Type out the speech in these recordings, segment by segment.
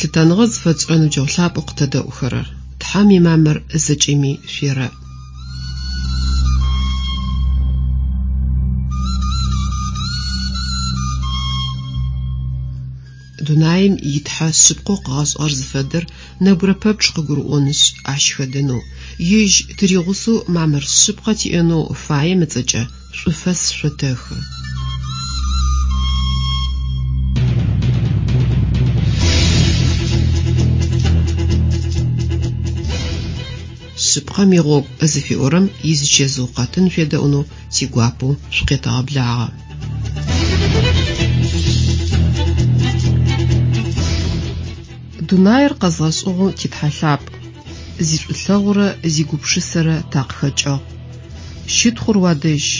Лъытэныгъэ зыфэтшӏырэ ныбджэгъу лъапӏэу къытэдэӏухэрэр, Тхьэм имамыр зэкӏэми шъуерэӏ. Дунаим и Тхьэ шъыпкъэу къыгъэшӏыгъэр зыфэдэр нэбгырэ пэпчъ къыгурыӏонышъ, ащ хэдэнэу, ежь тыригъусэу мамыр шъыпкъэ тиӏэнэу фаем ыцӏэкӏэ шӏуфэс шъотэхы. Шъыпкъэм игъогу зыфиӏорэм изычэзыу къэтын шъуедэӏунэу тигуапэу шъукъетэгъэблагъэ. Дунаир къэзгъэшӏыгъэу ти Тхьэ лъапӏ, зишӏулъэгъурэ зигупшысэрэ такъыхэкӏыгъ. Щытхъур уадэжь,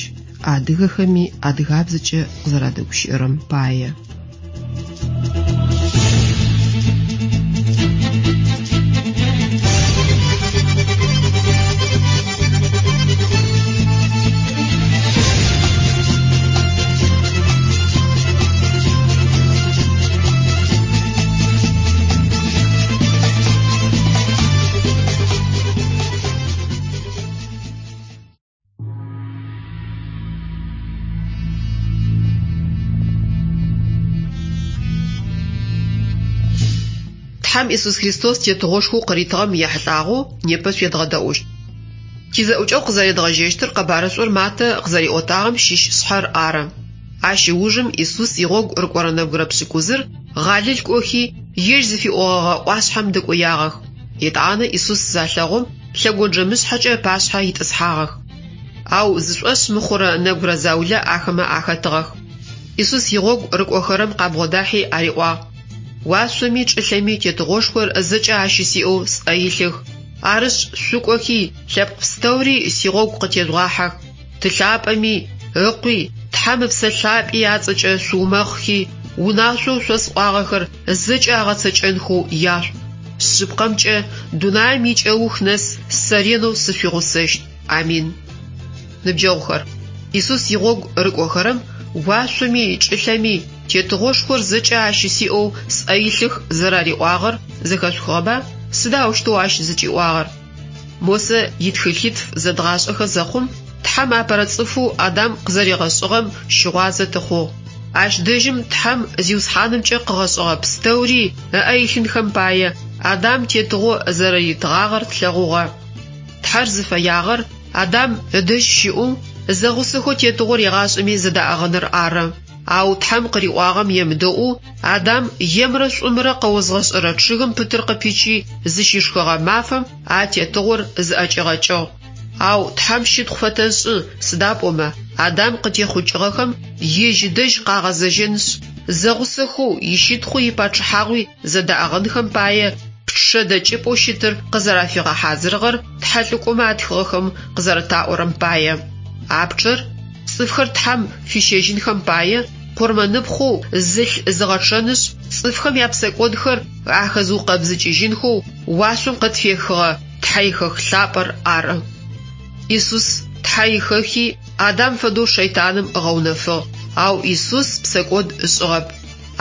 адыгэхэми адыгабзэкӏэ къызэрадэгущыӏэрэм пае. Тхьэм Исус Христос тетыгъошхоу къыритыгъэм ехьылӏагъэу непэ шъуедгъэдэӏущт. Тизэӏукӏэгъу къызэредгъэжьэщтыр къэбарышӏур Матэ къызэриӏотагъэм щыщ шъхьэр ары. Ащ ыужым Исус игъогу рыкӏорэ нэбгырэ пшӏыкӏузыр Гъалил кӏохи, ежь зыфиӏогъэгъэ ӏуашъхьэм дэкӏоягъэх. Етӏанэ Исус залъэгъум, лъэгонджэмышъхьэкӏэ ыпашъхьэ итӏысхьагъэх. Ау зышӏошъ мыхъурэ нэбгырэ заулэ ахэмэ ахэтыгъэх. Исус игъогу рыкӏохэрэм къабгъодахьи ариӏуагъ, Уашъоми чӏылъэми тетыгъошхор зэкӏэ ащысиӏэу сӏэ илъых. Арышъ, шъукӏохи, лъэпкъ пстэури сигъогу къытежъугъахьэх. Ты лъапӏэми, Ыкъуи, Тхьэм Ыпсэ Лъапӏи ацӏэкӏэ шъуумэхъхи, унашъоу шъосӏуагъэхэр зэкӏэ агъэцэкӏэнхэу яшъуӏу. Шъыпкъэмкӏэ, дунаим икӏэух нэс сэ ренэу сышъуигъусэщт. Амин. Ныбджэгъухэр, Исус игъогу рыкӏохэрэм уашъоми чӏылъэми тетыгъошхор зэкӏэ ащысиӏэу сӏэ илъых зэрариӏуагъэр зэхэшъухыгъэба? Сыда аущтэу ащ зыкӏиӏуагъэр? Мосэ итхылъитф зэдгъашӏэхэ зэхъум, Тхьэм апэрэ цӏыфэу Адам къызэригъэшӏыгъэм щыгъуазэ тыхъугъ. Ащ дэжьым Тхьэм Зиусхьанымкӏэ къыгъэшӏыгъэ пстэури ыӏэ илъынхэм пае Адам тетыгъо зэрэритыгъагъэр тлъэгъугъэ. Тхьэр зыфэягъэр Адам ыдэжь щыӏэу, зэгъусэхэу тетыгъор егъашӏэми зэдаӏыгъыныр ары. Ау Тхьэм къыриӏуагъэм емыдэӏоу, Адам емрэ шӏумрэ къэозгъэшӏэрэ чъыгым пытыр къыпичи зыщишхыгъэ мафэм а тетыгъор зыӏэкӏигъэкӏыгъ. Ау Тхьэм щытхъу фэтэшӏы, сыда пӏомэ Адам къытехъукӏыгъэхэм ежь ыдэжь къагъэзэжьынышъ, зэгъусэхэу ищытхъуи ипачъыхьагъуи зэдаӏыгъынхэм пае пчъэ дэкӏыпӏэу щытыр къызэрафигъэхьазырыгъэр тхьэлӏыкӏомэ атхыгъэхэм къызэрэтаӏорэм пае. А пчъэр цӏыфхэр Тхьэм фищэжьынхэм пае къурмэныпхъэу зылъ зыгъэчъэнышъ, цӏыфхэм япсэкӏодхэр ахэзыукъэбзыкӏыжьынхэу уашъом къытфехыгъэ Тхьэихэх лъапӏэр ары. Исус Тхьэ ихэхи, Адам фэдэу шэйтаным ыгъэунэфыгъ, ау Исус псэкӏод ышӏыгъэп.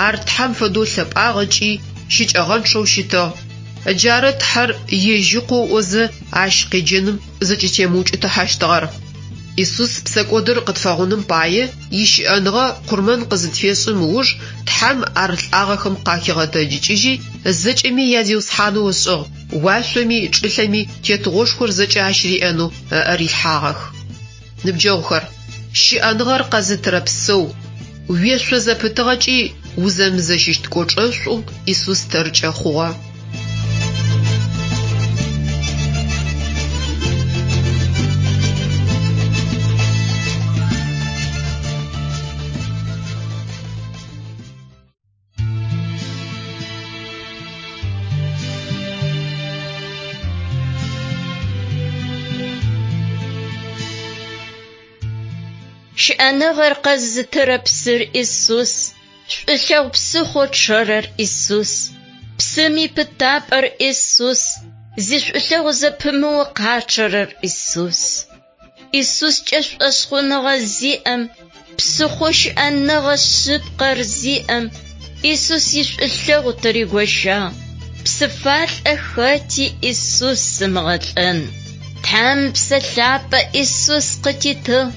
Ар Тхьэм фэдэу лъэпӏагъ ыкӏи щыкӏэгъэнчъэу щытыгъ. Джары Тхьэр ежь Ыкъоу ыӏозэ ащ къеджэным зыкӏытемыукӏытыхьэщтыгъэр. Исус псэкӏодыр къытфэгъуным пае ищыӏэныгъэ къурмэн къызытфешӏым ыуж Тхьэм ар лӏагъэхэм къахигъэтэджыкӏыжьи, зэкӏэми я Зиусхьанэу ышӏыгъ, уашъоми чӏылъэми тетыгъошхор зэкӏэ ащ риӏэнэу ыӏэ рилъхьагъэх. Ныбджэгъухэр, щыӏэныгъэр къэзытырэ псэу, уешъо зэпытыгъэкӏи узэмызэщыщт кӏочӏэшӏу Исус тэркӏэ хъугъэ. Щыӏэныгъэр къэзытырэ псыр Исус, шӏулъэгъу псыхъоу чъэрэр Исус, псым ипытапӏэр Исус, зишӏулъэгъу зэпымыоу къачъэрэр Исус. Исускӏэ шӏошъхъуныгъэ зиӏэм, псыхъоу щыӏэныгъэ шъыпкъэр зиӏэм, Исус ишӏулъэгъу тыригощагъ. Псыфалӏэ хэти Исус ымыгъэлӏэн. Тхьэм Псэ Лъапӏэ Исус къытитыгъ.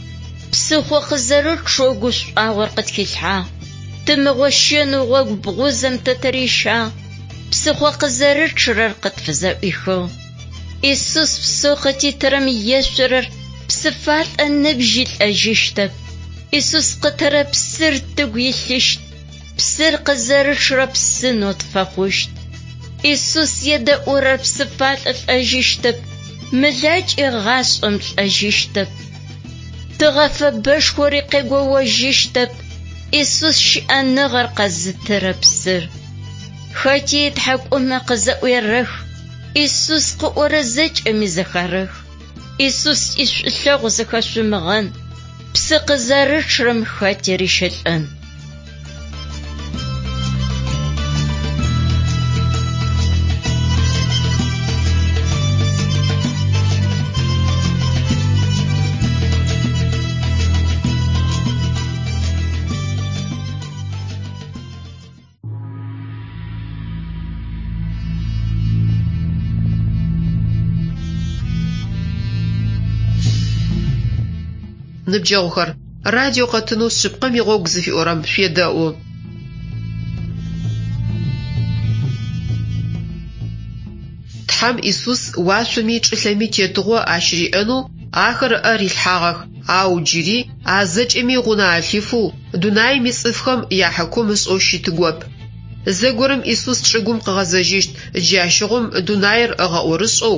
Псыхъо къызэрычъэу гушӏуагъор къытхилъхьагъ. Тымыгъощэнэу гъогу бгъузэм тэ тырищагъ. Псыхъо къызэрычъырэр къытфызэӏуихыгъ. Исус псэу къытитырэм ешъорэр псыфалӏэ ныбжьи лӏэжьыщтэп. Исус къытырэ псыр тыгу илъыщт. Псыр къызэрычъырэ псынэу тфэхъущт. Исус едэӏурэр псыфалӏэ лӏэжьыщтэп. Мэлакӏэ гъашӏэм лӏэжьыщтэп. Тыгъэ фэбэшхори къегоожьыщтэп. Исус щыӏэныгъэр къэзытырэ псыр. Хэти ытхьакӏумэ къызэӏуерэх. Исус къыӏорэ зэкӏэми зэхарэх. Исус ишӏулъэгъу зэхэшъумыгъэн. Псы къызэрычъырэм хэти рищэлӏэн. Ныбджэгъухэр, радио къэтынэу шъыпкъэм игъогу зыфиӏорэм шъуедэӏу. Тхьэм Исус уашъоми чӏылъэми тетыгъо ащыриӏэнэу ахэр ыӏэ рилъхьагъэх, ау джыри а зэкӏэми гъунэ алъифэу дунаим ицӏыфхэм яхьыкум ышӏэу щытыгоп. Зэгорэм Исус чӏыгум къыгъэзэжьыщт, джащыгъум дунаир ыгъэӏорышӏэу,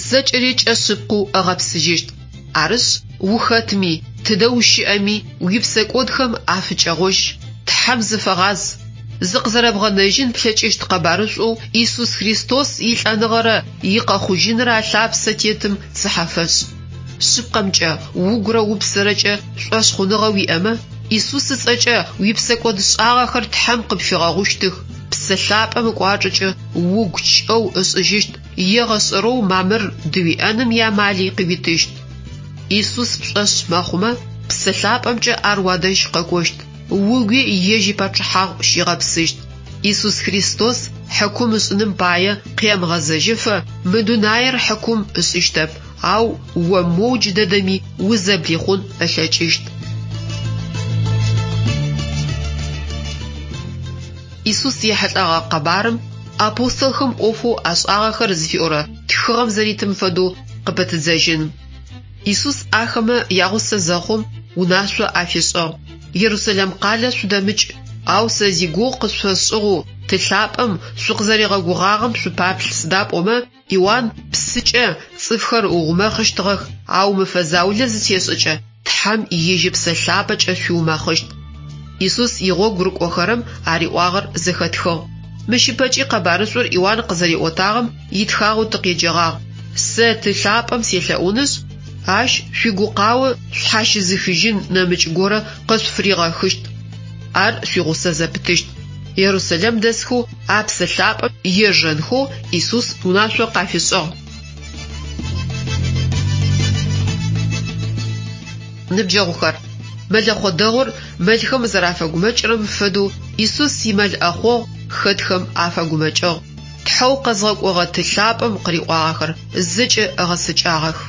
зэкӏэри кӏэ шъыпкъэу ыгъэпсыжьыщт. Арышъ, ухэтми, тыдэ ущыӏэми, уипсэкӏодхэм афыкӏэгъожь, Тхьэм зыфэгъаз. Зыкъызэрэбгъэнэжьын плъэкӏыщт къэбарышӏоу Исус Христос илӏэныгъэрэ икъэхъужьынрэ алъапсэ тетым цыхьэ фэшӏ. Шъыпкъэмкӏэ, угурэ упсэрэкӏэ шӏошъхъуныгъэ уиӏэмэ, Исус ыцӏэкӏэ уипсэкӏодшӏагъэхэр Тхьэм къыпфигъэгъущтых, Псэ Лъапӏэм ыкӏуачӏэкӏэ угу кӏэу ышӏыжьыщт, егъэшӏэрэу мамыр дыуиӏэным иамали къыуитыщт. Исус пшӏошъ мэхъумэ, Псэ Лъапӏэмкӏэ ар уадэжь къэкӏощт, угуи ежь ипачъыхьагъу щигъэпсыщт. Исус Христос хьыкум ышӏыным пае къемыгъэзэжьыфэ мы дунаир хьыкум ышӏыщтэп, ау о моу джыдэдэми узэблихъун ылъэкӏыщт. Исус ехьылӏэгъэ къэбарым Апостолхэм ӏофэу ашӏагъэхэр зыфиӏорэ тхыгъэм зэритым фэдэу къыпытыдзэжьын. Исус ахэмэ ягъусэ зэхъум унашъо афишӏыгъ: Ерусалим къалэ шъудэмыкӏ, ау сэ зигугъу къышъуфэсшӏыгъэу Ты лъапӏэм шъукъызэригъэгугъагъэм шъупаплъ, сыда пӏомэ Иуан псыкӏэ цӏыфхэр ыумэхъыщтыгъэх, ау мэфэ заулэ зытешӏэкӏэ Тхьэм ежь Ыпсэ Лъапӏэкӏэ шъуиумэхъыщт. Исус игъогу рыкӏохэрэм ариӏуагъэр зэхэтхыгъ. Мыщ ыпэкӏи къэбарышӏур Иуан къызэриӏотагъэм итхагъэу тыкъеджэгъагъ. Сэ Ты лъапӏэм селъэӏунышъ, ащ шъуигукъао шъхьащызыхыжьын нэмыкӏ горэ къышъуфыригъэхыщт. Ар шъуигъусэ зэпытыщт. Ерусалим дэсхэу а Псэ Лъапӏэм ежэнхэу Исус унашъо къафишӏыгъ. Ныбджэгъухэр, мэлэхъо дэгъур мэлхэм зэрафэгумэкӏырэм фэдэу Исус имэл ӏэхъогъу хэтхэм афэгумэкӏыгъ. Тхьэу къэзгъэкӏогъэ Ты лъапӏэм къыриӏуагъэхэр зэкӏэ ыгъэцэкӏагъэх.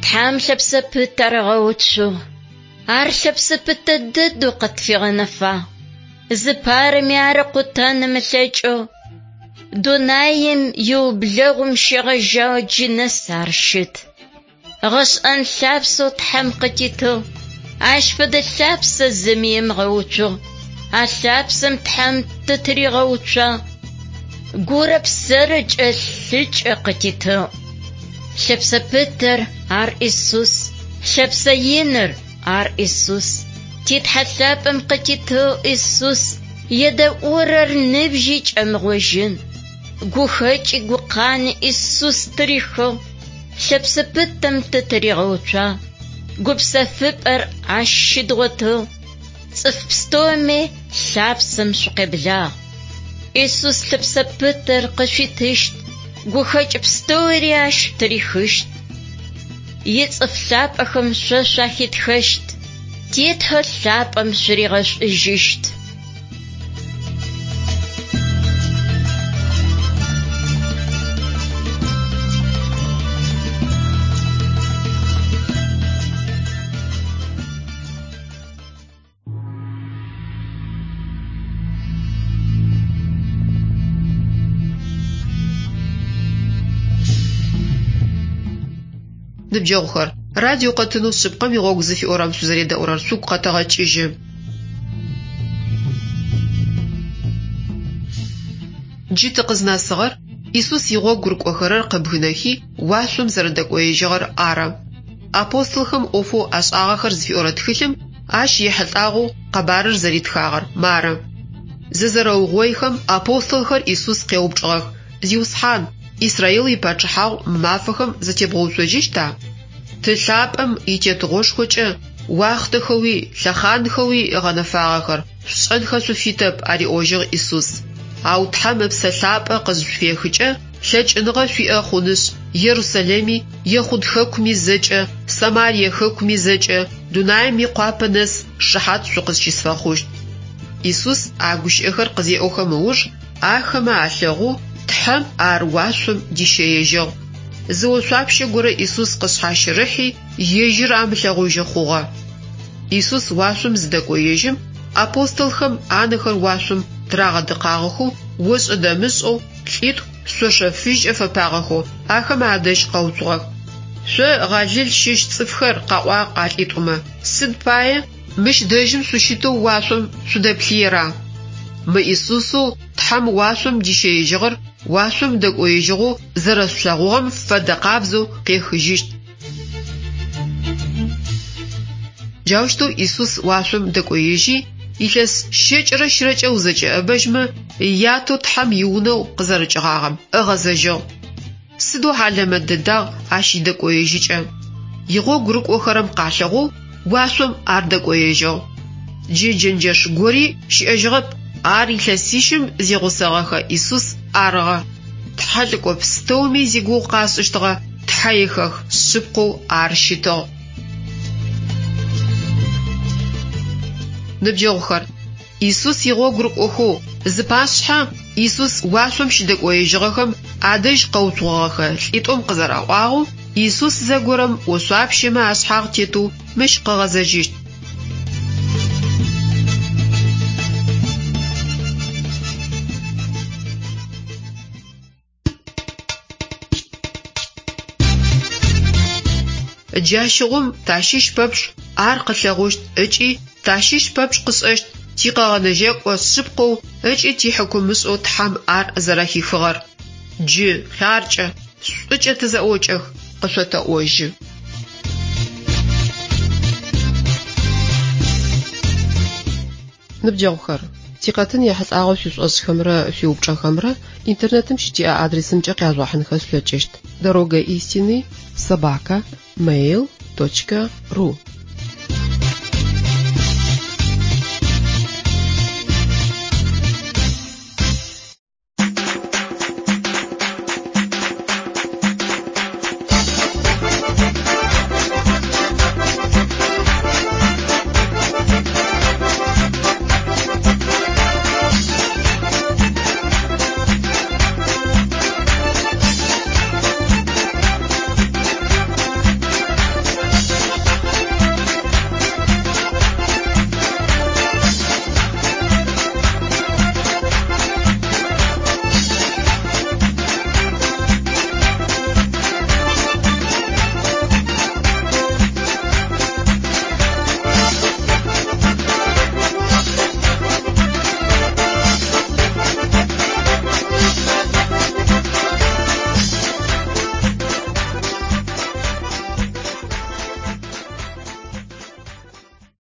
Тхьэм лъэпсэ пытэ рыгъэуцугъ. Ар лъэпсэ пытэ дэдэу къытфигъэнэфагъ. Зыпарэми ар ыкъутэн ымылъэкӏэу. Дунаим иублэгъум щегъэжьагъэу джы нэс ар щыт. Гъэшӏэн лъапсэу Тхьэм къытитыгъ. Ащ фэдэ лъапсэ зыми ымыгъэуцугъ. А лъапсэм Тхьэм тытыригъэуцуагъ. Гурэ псэрэкӏэ лъыкӏэ къытитыгъ. Лъэпсэ пытэр ар Исус, лъэпсэ иныр ар Исус. Ти Тхьэ лъапӏэм къытитыгъ Исус, едэӏурэр ныбжьи кӏэмыгъожьын. Гухэкӏи гукъани Исус тырихыгъ, лъэпсэ пытэм тытыригъэуцуагъ. Гупсэфыпӏэр ащ щыдгъотыгъ. Цӏыф пстэуми лъапсэм шъукъеблагъ. Исус лъэпсэ пытэр къышъуитыщт, гухэкӏ пстэури ащ тырихыщт. Ицӏыф лъапӏэхэм шъо шъуахитхэщт, ти Тхьэ лъапӏэм шъуригъэшӏужьыщт. Ныбджэгъухэр, радио къэтынэу шъыпкъэм игъогу зыфиӏорэм шъузэредэӏурэр шъугу къэтэгъэкӏыжьы. Джы тыкъызнэсыгъэр Исус игъогу рыкӏохэрэр къыбгынэхи уашъом зэрэдэкӏоежьыгъэр ары. Апостолхэм ӏофэу ашӏагъэхэр зыфиӏорэ тхылъым ащ ехьылӏагъэу къэбарыр зэритхагъэр мары. Зызэрэугъоихэм апостолхэр Исус къеупчӏыгъэх: «Зиусхьан, Израил ипачъыхьагъу мы мафэхэм зэтебгъэуцожьыщта? Ты лъапӏэм итетыгъошхокӏэ уахътэхэуи лъэхъанхэуи ыгъэнэфагъэхэр шъушӏэнхэ шъуфитэп», ариӏожьыгъ Исус. Ау Тхьэм Ыпсэ Лъапӏэ къызышъуфехыкӏэ лъэкӏыныгъэ шъуиӏэ хъунышъ, Ерусалими, Ехъуд хэкуми зэкӏэ, Самарие хэкуми зэкӏэ, дунаим икъуапэ нэс шыхьат шъукъызщысфэхъущт. Исус а гущыӏэхэр къызеӏохэм ыуж ахэмэ алъэгъоу Тхьэм ар уашъом дищэежьыгъ. Зы ошъуапщэ горэ Исус къышъхьащырыхьи, ежьыр амылъэгъужьы хъугъэ. Исус уашъом зыдэкӏоежьым, апостолхэм анэхэр уашъом тырагъэдыкъагъэхэу, ошӏэ-дэмышӏэу лӏитӏу шъошэ фыжькӏэ фэпагъэхэу ахэмэ адэжь къэуцугъэх. Шъо Галил щыщ цӏыфхэр, къаӏуагъ а лӏитӏумэ, сыд пае мыщ дэжьым шъущытэу уашъом шъудэплъыера? Мы Исусэу Тхьэм уашъом дищэежьыгъэр уашъом дэкӏоежьыгъэу зэрэшъулъэгъугъэм фэдэ къабзэу къехыжьыщт. Джаущтэу Исус уашъом дэкӏоежьи, илъэс 123-кӏэ узэкӏэӏэбэжьмэ, ятэу Тхьэм иунэу къызэрыкӏыгъагъэм ыгъэзэжьыгъ. Сыдэу хьалэмэт дэдагъ ащ идэкӏоежьыкӏэ. Игъогу рыкӏохэрэм къалъэгъоу уашъом ар дэкӏоежьыгъ. Джы джэнджэш гори щыӏэжьыгъэп, ар илъэсищым зигъусэгъэхэ Исус арыгъэ. Тхьэлӏыкӏо пстэуми зигугъу къашӏыщтыгъэ Тхьэихэх шъыпкъэу ар щытыгъ. Ныбджэгъухэр, Исус игъогу рыкӏохэу зыпашъхьэ Исус уашъом щыдэкӏоежьыгъэхэм адэжь къэуцугъэгъэхэ лӏитӏум къызэраӏуагъэу Исус зэгорэм ошъуапщэмэ ашъхьагъ тетэу мыщ къыгъэзэжьыщт. Джащыгъум тащыщ пэпчъ ар къылъэгъущт ыкӏи тащыщ пэпчъ къышӏэщт тикъэгъэнэжьэкӏо шъыпкъэу ыкӏи тихьыкумышӏэу Тхьэм ар зэрэхихыгъэр. Джы хъяркӏэ, шӏукӏэ тызэӏокӏэх, къышъотэӏожьы. Ныбджэгъухэр, тикъэтын ехьылӏагъэу шъуишӏошӏхэмрэ шъуиупчӏэхэмрэ интернетым щытиӏэ адресымкӏэ къяжъугъэхьынхэ шъулъэкӏыщт: дорога истины собака mail.ru.